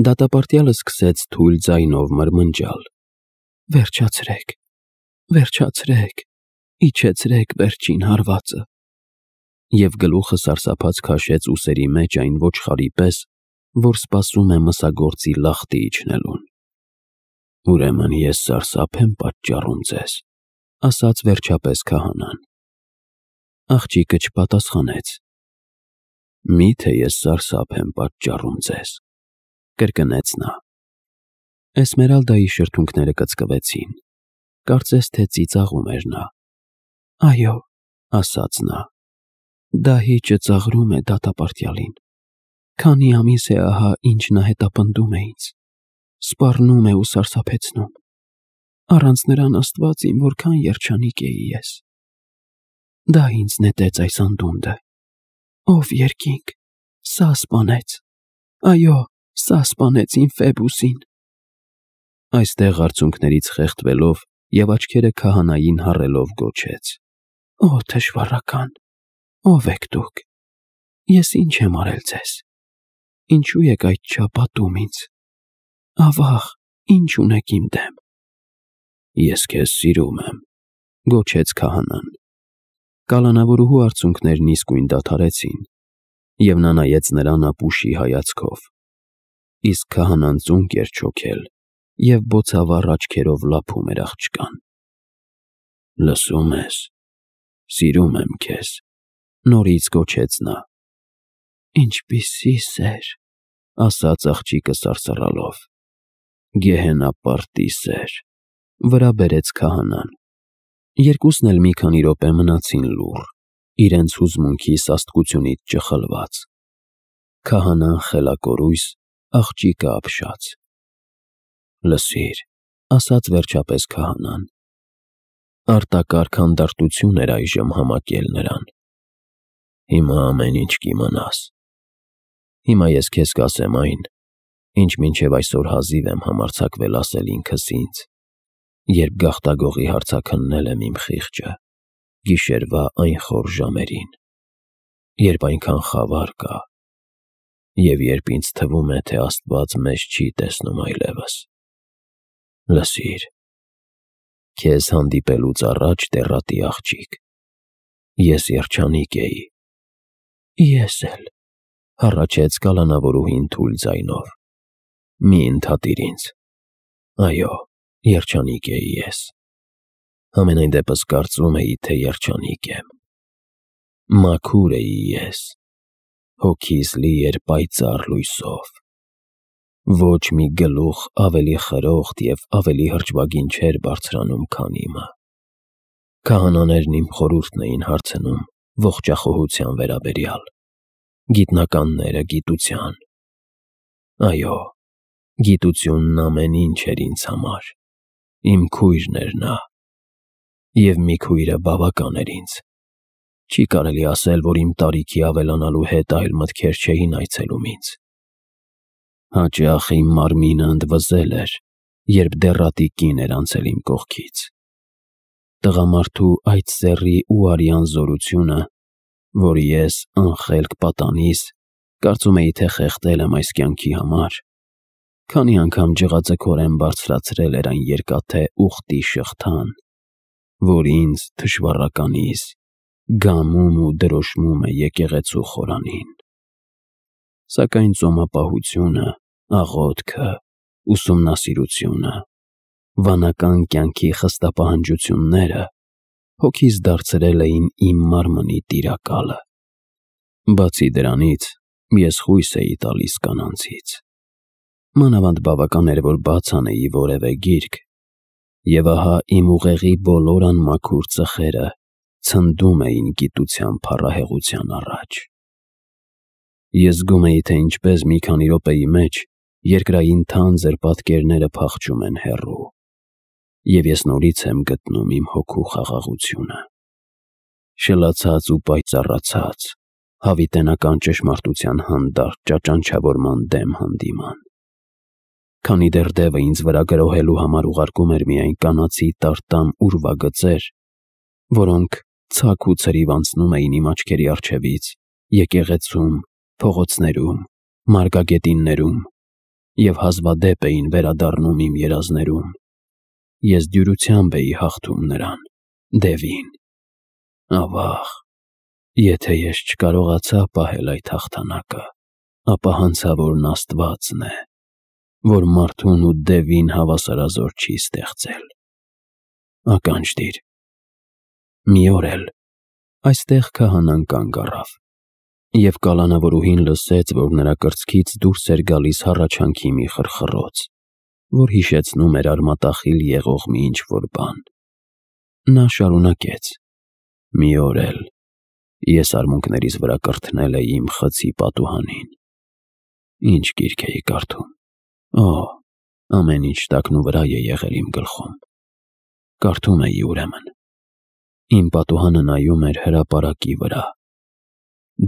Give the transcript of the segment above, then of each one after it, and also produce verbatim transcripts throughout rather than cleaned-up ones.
Դատապարտյալը սկսեց թույլ ձայնով մրմնջալ. «Վերջացրեք, վերջացրեք, իջեցրեք վերջին հարվածը»։ Եվ գլուխը սարսափած քաշեց ուսերի մեջ այն ոչխարի պես, որ սպասում է մսագործի լախտի իջնելուն։ «Ուրեմն ես սարսափ եմ պատճառում ձեզ», ասաց վերջապես քահանան։ Աղջիկը չպատասխանեց։ «Մի՞թե ես սարսափ եմ պատճառում ձեզ», կրկնեց նա։ Էսմերալդայի շրթունքները կծկվեցին, կարծես թե ծիծաղում էր նա։ «Այո», ասաց նա, «դահիճը ծաղրում է դատապարտյալին։ Քանի ամիս է ահա ինչ նա հետապնդում է ինձ, սպառնում է ու սարսափեցնում։ Առանց նրան Աստված իմ որքան երջանիկ էի ես։ Դա ինձ նետեց այս անդունդը։ Ով երկինք, սա սպանեց, այո, սա սպանեց իմ Ֆեբուսին»։ Այստեղ արցունքներից խեղդվելով և աչքերը քահանային հառելով գոչեց. «Օ թշվառական, ո՞վ եք դուք։ Ես ինչ եմ արել ձեզ։ Ինչու եք այդչափ ատում ինձ։ Ավաղ, ինչ ունեք իմ դեմ»։ «Ես քեզ սիրում եմ», գոչեց քահանան։ Կալանավորուհու արցունքներն իսկույն դադարեցին, և նա նայեց նրան ապուշի հայացքով։ Իսկ քահանան ծունկ էր չոքել և բոցավառ աչքերով լափում էր աղջկան։ «Լսո՞ւմ ես, սիրում եմ քեզ», նորից գոչեց նա։ «Ինչպիսի սեր», ասաց աղջիկը սարսռալով։ «Գեհենապարտի սեր», վրա բերեց քահանան։ Երկուսն էլ մի քանի րոպե մնացին լուռ, իրենց հուզմունքի սաստկությունից ճխլված։ Քահանան խելակորույս, աղջիկը ապշած։ «Լսիր», ասաց վերջապես քահանան։ Արտակարգ հանդարտություն էր այժմ համակել նրան։ «Հիմա ամեն ինչ կիմանաս։ Հիմա ես քեզ կասեմ այն, ինչ մինչև այսօր հազիվ եմ համարձակվել ասել ինքս ինձ, երբ գաղտագողի հարցաքննել եմ իմ խիղճը գիշերվա այն խոր ժամերին, երբ այնքան խավար կա, և երբ ինձ թվում է, թե Աստված մեզ չի տեսնում այլևս։ Լսիր, քեզ հանդիպելուց առաջ, դեռատի աղջիկ, ես երջանիկ էի»։ «Ես էլ», հառաչեց կալանավորուհին թույլ ձայնով։ «Մի ընդհատիր ինձ։ Այո, երջանիկ էի ես։ Համենայն դեպս կարծում էի, թե երջանիկ եմ։ Մաքուր էի ես, հոգիս լի էր պայծառ լույսով։ Ոչ մի գլուխ ավելի խրոխտ և ավելի հրճվագին չէր բարձրանում, քան իմը։ Քահանաներն իմ խորհուրդն էին հարցնում ողջախոհության վերաբերյալ, գիտնականները գիտության։ Այո, գիտությունն ամեն ինչ էր ինձ համար, իմ քույրն էր նա։ Եվ մի քույրը բավական էր ինձ։ Չի կարելի ասել, որ իմ տարիքի ավելանալու հետ այլ մտքեր չէին այցելում ինձ։ Հաճախ իմ մարմինը ընդվզել էր, երբ դեռատի կին էր անցել իմ կողքից։ Տղամարդու այդ սեռի ու արյան զորությունը, որ ես, անխելք պատանիս, կարծում էի, թե խեղդել եմ այս կյանքի համար, քանի անգամ ջղաձգորեն բարձրացրել էր այն երկաթե ուղտի շղթան, որ ինձ, թշվառականիս, գամում ու դրոշմում է եկեղեցու խորանին։ Սակայն ծոմապահությունը, աղոթքը, ուսումնասիրությունը, վանական կյանքի խստապահանջությունները հոգիս դարձրել էին իմ մարմնի տիրակալը։ Բացի դրանից, ես խույս էի տալիս կանանցից։ Մանավանդ բավական էր, որ բաց անեի որևէ գիրք, և ահա իմ ուղեղի բոլոր անմաքուր ծխերը ցնդում էին գիտության փառահեղության առաջ։ Ես զգում էի, թե ինչպես մի քանի րոպեի մեջ երկրային թանձր պատկերները փախչում են հեռու, և ես նորից եմ գտնում իմ հոգու խաղաղությունը։ Շլացած ու պայծառացած, հավիտենական ճշմարտության հանդարտ ճաճանչավորման դեմ հանդիման։ Քանի դեռ դևը ինձ վրա գրոհելու համար ուղարկում էր միայն կանացի տարտամ ուրվագծեր, որոնք ցաք ու ցրիվ անցնում էին իմ աչքերի առջևից եկեղեցում, փողոցներում, մարգագետիններում, և հազվադեպ էին վերադառնում իմ երազներում, ես դյուրությամբ էի հաղթում նրան, Դևին։ Ավաղ, եթե ես չկարողացա պահել այդ հաղթանակը, ապա հանցավորն Աստվածն է, որ մարդուն ու Դևին հավասարազոր չի ստեղծել։ Ականջ դիր։ Մի օր էլ այստեղ քահանան կանգ առավ, և կալանավորուհին լսեց, որ նրա կրծքից դուրս էր գալիս հառաչանքի մի խրխռոց, որ հիշեցնում էր արմատախիլ եղող մի ինչ-որ բան։ Նա շարունակեց. «Մի օր էլ ես արմունկներիս վրա կրթնել էի իմ խցի պատուհանին։ Ինչ գիրք էի կարդում։ Օ, ամեն ինչ տակնուվրա է եղել իմ գլխում։ Կարդում էի ուրեմն։ Իմ պատուհանը նայում էր հրապարակի վրա։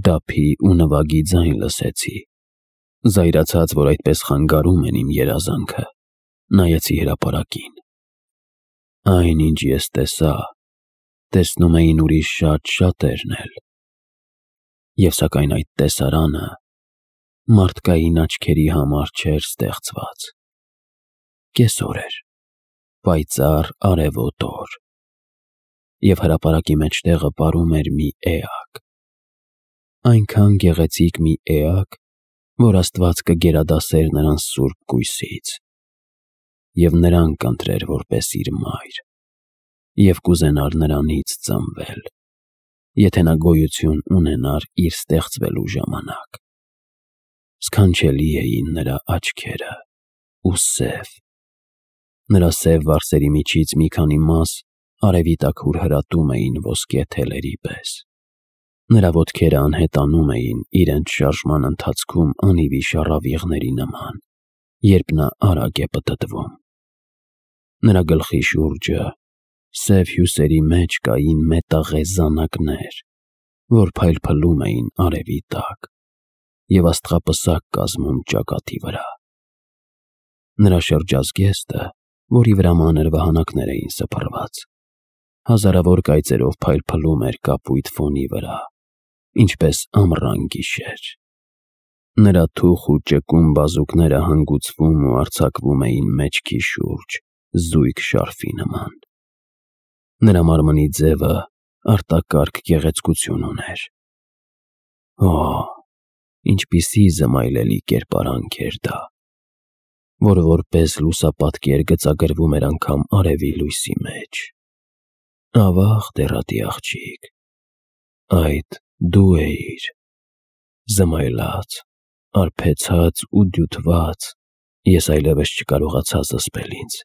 Դափի ու նվագի ձայն լսեցի։ Զայրացած, որ այդպես խանգարում են իմ երազանքը, նայեցի հրապարակին։ Այն, ինչ ես տեսա, տեսնում էին ուրիշ շատ շատերն էլ։ Եվ սակայն այդ տեսարանը մարդկային աչքերի համար չէր ստեղծված։ Կեսօր էր, պայծառ արևոտ օր, և հրապարակի մեջտեղը պարում էր մի էակ, այնքան գեղեցիկ մի էակ, որ Աստված կգերադասեր նրան սուրբ կույսից, և նրան կընտրեր որպես իր մայր, և կուզենար նրանից ծնվել, եթե նա գոյություն ունենար իր ստեղծվելու ժամանակ։ Սքանչելի էին նրա աչքերը ու սև։ Նրա սև վարսերի միջից մի քանի մաս արևի տաքուր հրատում էին ոսկե թելերի պես։ Նրա ոտքերը անհետանում էին իրենց շարժման ընթացքում անիվի շառավիղների նման, երբ նա արագ է պտտվում։ Նրա գլխի շուրջը սև հյուսերի մեջ կային մետաղե զանակներ, որ փայլփլում էին արևի տակ և աստղապսակ կազմում ճակատի վրա։ Նրա շրջազգեստը, որի վրա մանր վահանակներ էին սփռված, հազարավոր կայծերով փայլփլում էր կապույտ ֆոնի վրա, ինչպես ամռան գիշեր։ Նրա թուխ ու ճկուն բազուկները հանգուցվում ու արձակվում էին մեջքի շուրջ զույգ շարֆի նման։ Նրա մարմնի ձևը արտակարգ գեղեցկություն ուներ։ Օ, ինչպիսի զմայլելի կերպարանք էր դա, որ որպես լուսապատկեր գծագրվում էր անգամ արևի լույսի մեջ։ Ավաղ, դեռատի աղջիկ, այդ դու էիր, զմայլած, արբեցած ու դյութված, ես այլևս չկարողացա զսպել ինձ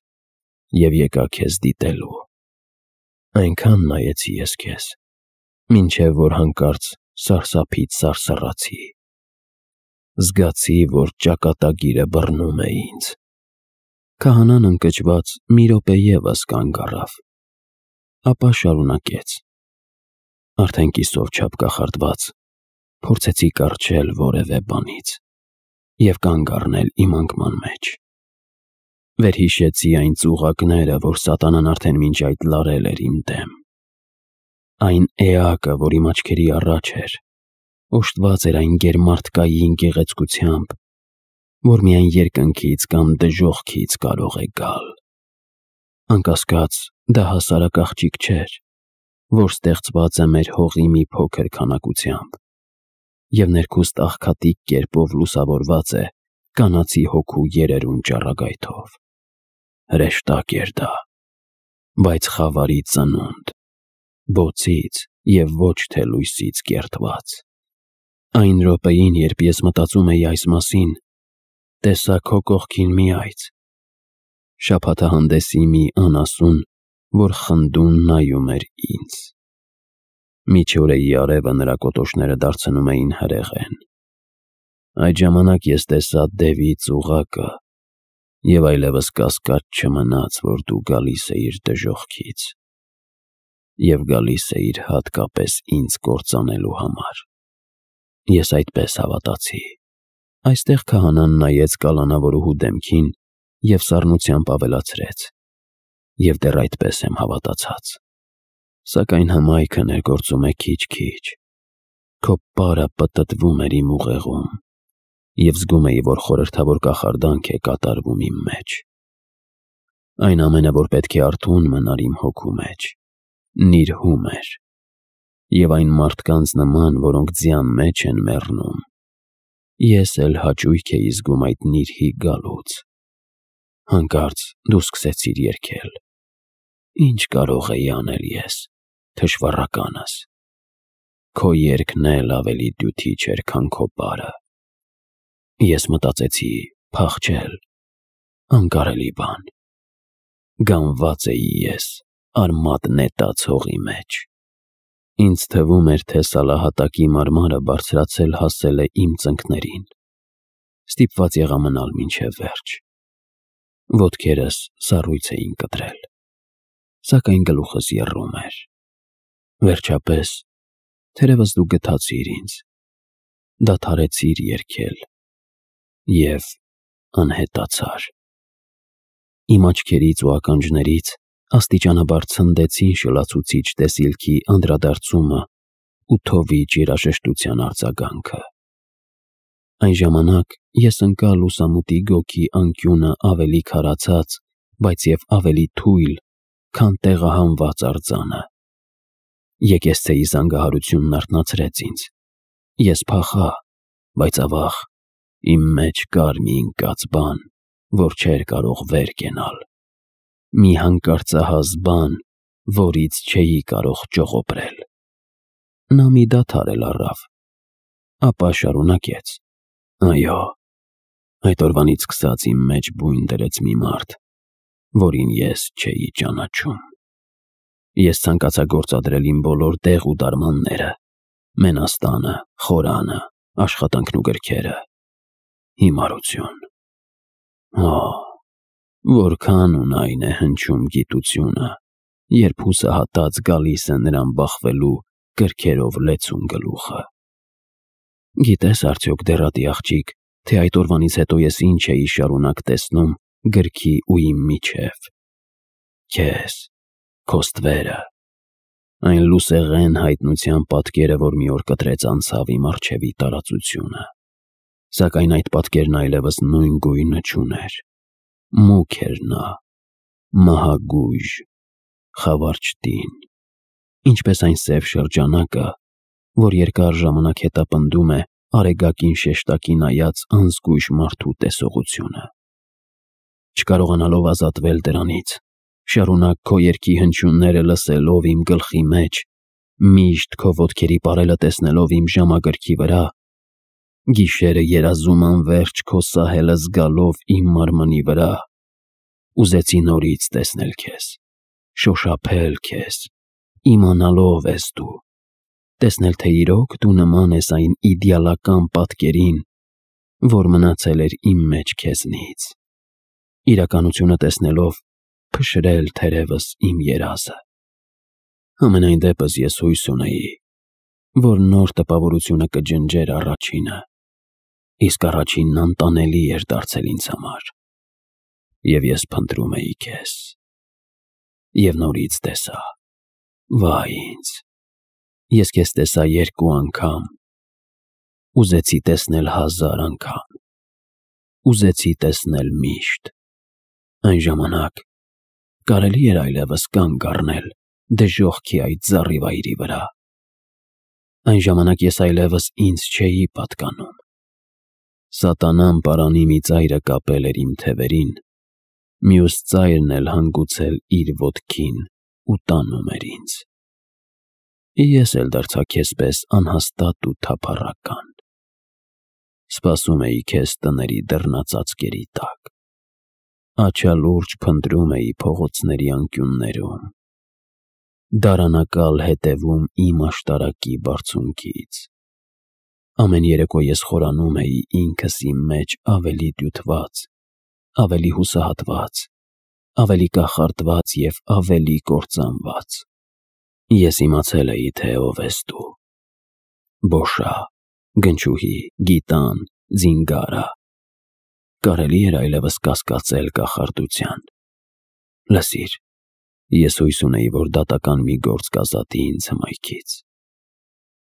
և եկա քեզ դիտելու։ Այնքան նայեցի ես քեզ, մինչև որ հանկարծ սարսափից սարսռացի։ Զգացի, որ ճակատագիրը բռնում է ինձ։ Քահանան ընկճված մի րոպե ևս կանգ առավ, ապա շարունակեց. Արդեն կիսով չափ կախարդված, փորձեցի կառչել որևէ բանից և կանգ առնել իմ անկման մեջ։ Վերհիշեցի այն ծուղակները, որ սատանան արդեն մինչ այդ լարել էր իմ դեմ։ Այն էակը, որ իմ աչքերի առաջ էր, օժտված էր այն գերմարդկային գեղեցկությամբ, որ միայն երկնքից կամ դժոխքից կարող է գալ։ Անկասկած, դա հասարակ աղջիկ չէր, որ ստեղծված է մեր հողի մի փոքր քանակությամբ, և ներքուստ աղքատիկ կերպով լուսավորված է կանացի հոգու երերուն ճառագայթով։ Հրեշտակ էր դա, բայց խավարի ծնունդ, բոցից և ոչ թե լույսից կերտված։ Այն րոպեին, երբ ես մտածում էի այս մասին, տեսա քո կողքին մի այծ, շաբաթահանդեսի մի անասուն, որ խնդուն նայում էր ինձ։ Միջօրեի արևը նրա կոտոշները դարձնում էին հրեղեն։ Այդ ժամանակ ես տեսա Դևի ծուղակը, և այլևս կասկած չմնաց, որ դու գալիս էիր դժոխքից և գալիս էիր հատկապես ինձ կործանելու համար։ Ես այդպես հավատացի։ Այստեղ քահանան նայեց կալանավորուհու դեմքին և սառնությամբ ավելացրեց. և դեռ այդպես եմ հավատացած։ Սակայն հմայքը ներգործում է քիչ-քիչ։ Քո պարը պտտվում էր իմ ուղեղում, և զգում էի, որ խորհրդավոր կախարդանք է կատարվում իմ մեջ։ Այն ամենը, որ պետք է արթուն մնար իմ հոգու մեջ, նիրհում էր, և այն մարդկանց նման, որոնք ձյան մեջ են մեռնում, ես էլ հաճույք էի զգում այդ նիրհի գալուց։ Հանկարծ դու սկսեցիր երգել։ Ինչ կարող էի անել ես, թշվառականս։ Քո երգն էլ ավելի դյութիչ էր, քան քո պարը։ Ես մտածեցի փախչել, անկարելի բան։ Գանված էի ես արմատ նետած հողի մեջ։ Ինձ թվում էր, թե սալահատակի մարմարը բարձրացել հասել է իմ ծնկներին։ Ստիպված եղա մնալ մինչև վերջ։ Ոտքերս սառույց էին կտրել, սակայն գլուխս եռում էր։ Վերջապես, թերևս դու գթացիր ինձ, դադարեցիր երգել և անհետացար։ Իմ աչքերից ու ականջներից աստիճանաբար ցնդեցին շլացուցիչ տեսիլքի անդրադարձումը ու թովիչ երաժշտության արձագանքը։ Այն ժամանակ ես ընկա լուսամուտի գոգի անկյունը ավելի քարացած, բայց և ավելի թույլ, քան տեղահանված արձանը։ Եկեղեցեի զանգահարությունն արթնացրեց ինձ։ Ես փախա, բայց ավաղ, իմ մեջ կար մի ընկած բան, որ չէր կարող վեր կենալ։ Մի հանկարծահաս բան, որից չէի կարող ճողոպրել։ Նա մի դադար էլ առավ, ապա շարունակեց. Այո, այդ օրվանից սկսած իմ մեջ բույն դրեց մի մարդ, որին ես չէի ճանաչում։ Ես ցանկացա գործադրել իմ բոլոր դեղ ու դարմանները, մենաստանը, խորանը, աշխատանքն ու գրքերը։ Հիմարություն։ Օ, որքան ունայն է հնչում գիտությունը, երբ հուսահատած գալիս է նրան բախվելու կրքերով լեցուն գլուխը։ Գիտես արդյոք, դեռատի աղջիկ, թե այդ օրվանից հետո ես ինչ էի շարունակ տեսնում գրքի ու իմ միջև։ Քեզ, քո ստվերը, այն լուսեղեն հայտնության պատկերը, որ մի օր կտրեց անցավ իմ առջևի տարածությունը։ Սակայն այդ պատկերն այլևս նույն գույնը չուներ։ Մուգ էր նա, մահագույժ, խավարճտին, ինչպես այն սև շրջանակը, որ երկար ժամանակ հետապնդում է արեգակին շեշտակի նայած անզգույշ մարդու տեսողությունը։ Չկարողանալով ազատվել դրանից, շարունակ քո երգի հնչյունները լսելով իմ գլխի մեջ, միշտ քո ոտքերի պարելը տեսնելով իմ ժամագրքի վրա, գիշերը երազում անվերջ քո սահելը զգալով իմ մարմնի վրա, ուզեցի նորից տեսնել քեզ, շոշափել քեզ, իմանալով ես դու, տեսնել, թե իրոք դու նման ես այն իդեալական պատկերին, որ մնացել էր իմ մեջ քեզնից, իրականությունը տեսնելով փշրել թերևս իմ երազը։ Համենայն դեպս ես հույս ունեի, որ նոր տպավորությունը կջնջեր առաջինը, իսկ առաջինն անտանելի էր դարձել ինձ համար, և ես փնտրում էի քեզ։ Եվ նորից տեսա, վայ ինձ, ես քեզ տեսա երկու անգամ, ուզեցի տեսնել հազար անգամ, ուզեցի տեսնել միշտ։ Այն ժամանակ կարելի էր այլևս կանգ առնել դժոխքի այդ զառիվայրի վրա։ Այն ժամանակ ես այլևս ինձ չէի պատկանում։ Սատանան պարանի մի ծայրը կապել էր իմ թևերին, մյուս ծայրն էլ հանգուցել իր ոտքին ու տանում էր ինձ։ Ես էլ դարձա քեզ պես անհաստատ ու թափառական։ Սպասում էի քեզ տների դռնածածկերի տակ, աչալուրջ փնտրում էի փողոցների անկյուններում, դարանակալ հետևում իմ աշտարակի բարձունքից։ Ամեն երեկո ես խորանում էի ինքս իմ մեջ ավելի դյութված, ավելի հուսահատված, ավելի կախարդված և ավելի կործանված։ Ես իմացել էի, թե ով ես դու։ Բոշա, գնչուհի, գիտան, զինգարա։ Կարելի էր այլևս կասկածել կախարդության։ Լսիր, ես հույս ունեի, որ դատական մի գործ կազատի ինձ հմայքից։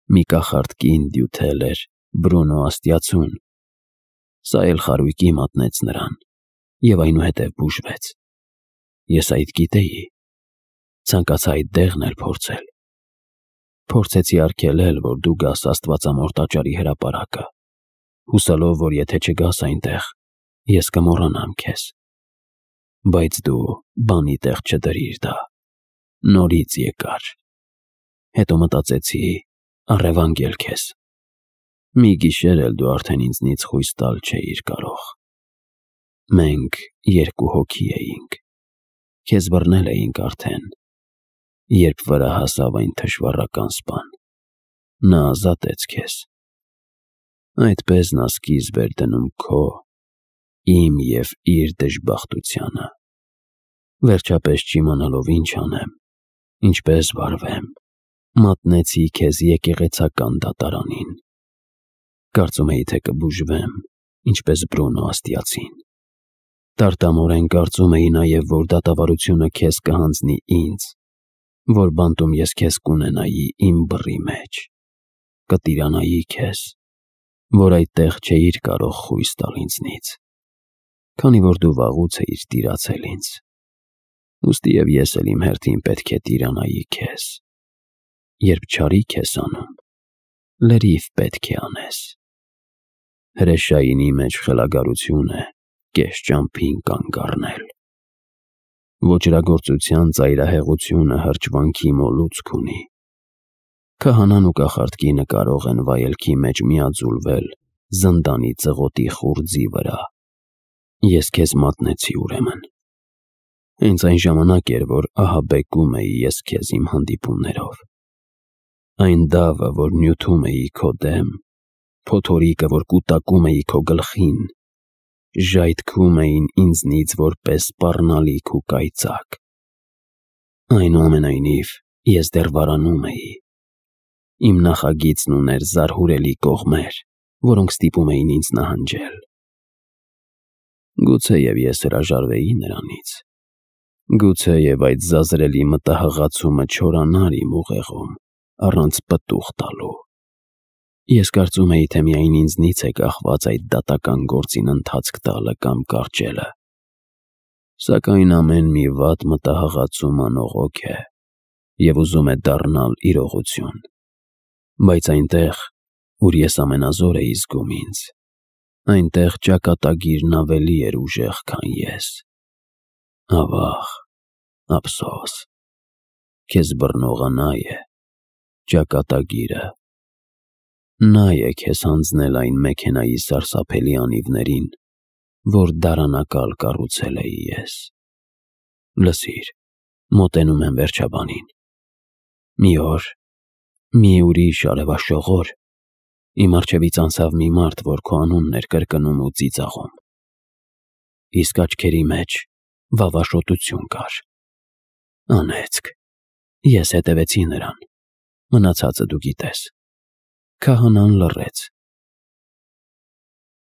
Մի կախարդ կին դյութել էր Բրունո Աստիածուն, Սա էլ խարույկի մատնեց նրան և այնուհետև բուժվեց։ Ես այդ գիտեի, ցանկացա այդ դեղն էլ փորձել։ Փորձեցի արգելել, որ դու գաս Աստվածամոր տաճարի հրապարակը, հուսալով, որ եթե չգաս այնտեղ, ես կմոռանամ քեզ։ Բայց դու բանի տեղ չդրիր դա, նորից եկար։ Հետո մտածեցի, առևանգել քեզ։ Մի գիշեր էլ դու արդեն ինձնից խույս տալ չէիր կարող։ Մենք երկու հոգի էինք, քեզ բռնել էինք արդեն, երբ վրա հասավ այն թշվառական սպան, նա ազատեց քեզ։ Այդպես նա սկիզբ էր դնում քո, իմ և իր դժբախտությանը, վերջապես չիմանալով ինչ անեմ, ինչպես վարվեմ, մատնեցի քեզ եկեղեցական դատարանին։ Կարծում էի, թե կբուժվեմ, ինչպես Բրունո աստիածին։ Տարտամորեն կարծում էի նաև, որ դատավարությունը քեզ կհանձնի ինձ, որ բանտում ես քեզ կունենայի իմ բռի մեջ, կտիրանայի քեզ, որ այդտեղ չէիր կարող խույս տալ ինձնից, քանի որ դու վաղուց էիր տիրացել ինձ, ուստի և ես էլ իմ հերթին պետք է տիրանայի քեզ։ Երբ չարիք ես անում, լրիվ պետք է անես։ Հրեշայինի մեջ խելագարություն է կես ճամփին կանգ առնել։ Ոճրագործության ծայրահեղությունը հրճվանքի մոլուցք ունի։ Քահանան ու կախարդ կինը կարող են վայելքի մեջ միաձուլվել զնդանի ծղոտի խուրձի վրա։ Ես քեզ մատնեցի ուրեմն։ Հենց այն ժամանակ էր, որ ահաբեկում էի ես քեզ իմ հանդիպումներով։ Այն դավը, որ նյութում էի քո դեմ, փոթորիկը, որ կուտակում էի քո գլխին, ժայթքում էին ինձնից որպես սպառնալիք ու կայծակ։ Այնուամենայնիվ, ես դեռ վարանում էի։ Իմ նախագիծն ուներ զարհուրելի կողմեր, որոնք ստիպում էին ինձ նահանջել։ Գուցեև ես հրաժարվեի նրանից, գուցեև այդ զազրելի մտահղացումը չորանար իմ ուղեղում առանց պտուղ տալու։ Ես կարծում էի, թե միայն ինձնից է կախված այդ դատական գործին ընթացք տալը կամ կարճելը։ Սակայն ամեն մի վատ մտահղացում անողոք է և ուզում է դառնալ իրողություն։ Բայց այնտեղ, ուր ես ամենազոր էի զգում ինձ, այնտեղ ճակատագիրն ավելի էր ուժեղ, քան ես։ Ավաղ, ափսոս, քեզ բռնողը նա է, ճակատագիրը։ Նա է քեզ հանձնել այն մեքենայի սարսափելի անիվներին, որ դարանակալ կառուցել էի ես։ Լսիր, մոտենում եմ վերջաբանին։ Մի օր, մի ուրիշ արևաշողոր, իմ առջևից անցավ մի մարդ, որ քո անունն էր կրկնում ու ծիծաղում։ Իսկ աչքերի մեջ վավաշոտություն կար։ Անեծք, ես հետևեցի նրան, մնացածը դու գիտես։ Քահանան լռեց,